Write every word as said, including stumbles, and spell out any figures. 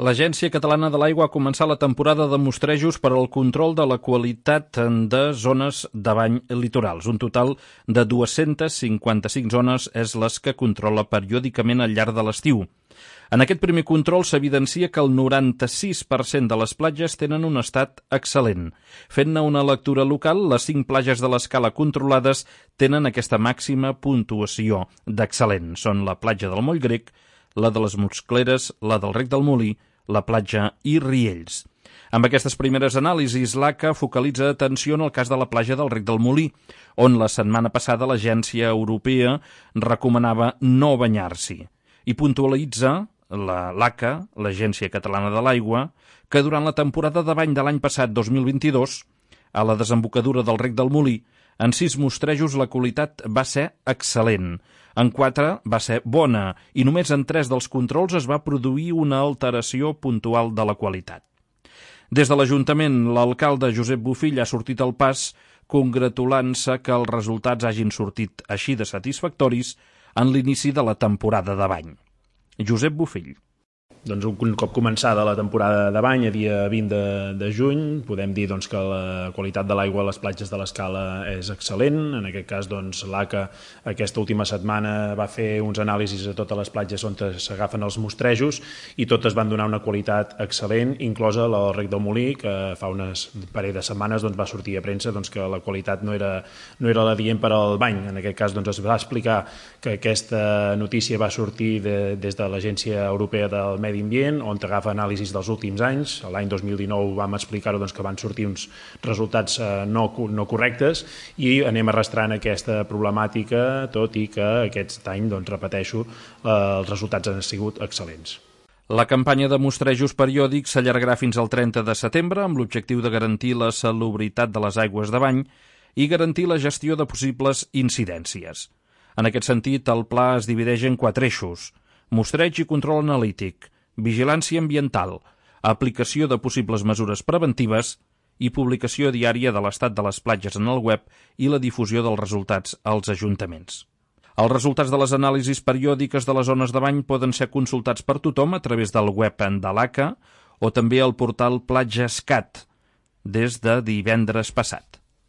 L'Agència Catalana de l'Aigua ha començat la temporada de mostrejos per al control de la qualitat de zones de bany litorals. Un total de dues-centes cinquanta-cinc zones és les que controla periòdicament al llarg de l'estiu. En aquest primer control s'evidencia que el noranta-sis per cent de les platges tenen un estat excel·lent. Fent-ne una lectura local, les cinc platges de l'escala controlades tenen aquesta màxima puntuació d'excel·lent. Són la platja del Moll Grec, la de les Muscleres, la del Rec del Molí, la platja i Riells. Amb aquestes primeres anàlisis, l'A C A focalitza atenció en el cas de la platja del Rec del Molí, on la setmana passada l'Agència Europea recomanava no banyar-s'hi. I puntualitza la l'A C A, l'Agència Catalana de l'Aigua, que durant la temporada de bany de l'any passat dos mil vint-i-dos, a la desembocadura del Rec del Molí, en sis mostrejos la qualitat va ser excel·lent. En quatre va ser bona i només en tres dels controls es va produir una alteració puntual de la qualitat. Des de l'Ajuntament, l'alcalde Josep Bofill ha sortit al pas congratulant-se que els resultats hagin sortit així de satisfactoris en l'inici de la temporada de bany. Josep Bofill. Doncs un cop començada la temporada de bany, a dia vint de, de juny, podem dir doncs, que la qualitat de l'aigua a les platges de l'Escala és excel·lent. En aquest cas, doncs, l'A C A aquesta última setmana va fer uns anàlisis a totes les platges on s'agafen els mostrejos i totes van donar una qualitat excel·lent, inclosa la del Rec del Molí, que fa unes parell de setmanes doncs, va sortir a premsa doncs, que la qualitat no era, no era l'adient per al bany. En aquest cas doncs, es va explicar que aquesta notícia va sortir de, des de l'Agència Europea del Medi Ambient, on agafa anàlisis dels últims anys. L'any dos mil dinou vam explicar-ho doncs, que van sortir uns resultats eh, no, no correctes i anem arrastrant aquesta problemàtica, tot i que aquest any, doncs, repeteixo, eh, els resultats han sigut excel·lents. La campanya de mostrejos periòdics s'allargarà fins al trenta de setembre amb l'objectiu de garantir la salubritat de les aigües de bany i garantir la gestió de possibles incidències. En aquest sentit, el pla es divideix en quatre eixos: mostreig i control analític, vigilància ambiental, aplicació de possibles mesures preventives i publicació diària de l'estat de les platges en el web i la difusió dels resultats als ajuntaments. Els resultats de les anàlisis periòdiques de les zones de bany poden ser consultats per tothom a través del web de l'A C A o també al portal PlatjaScat des de divendres passat.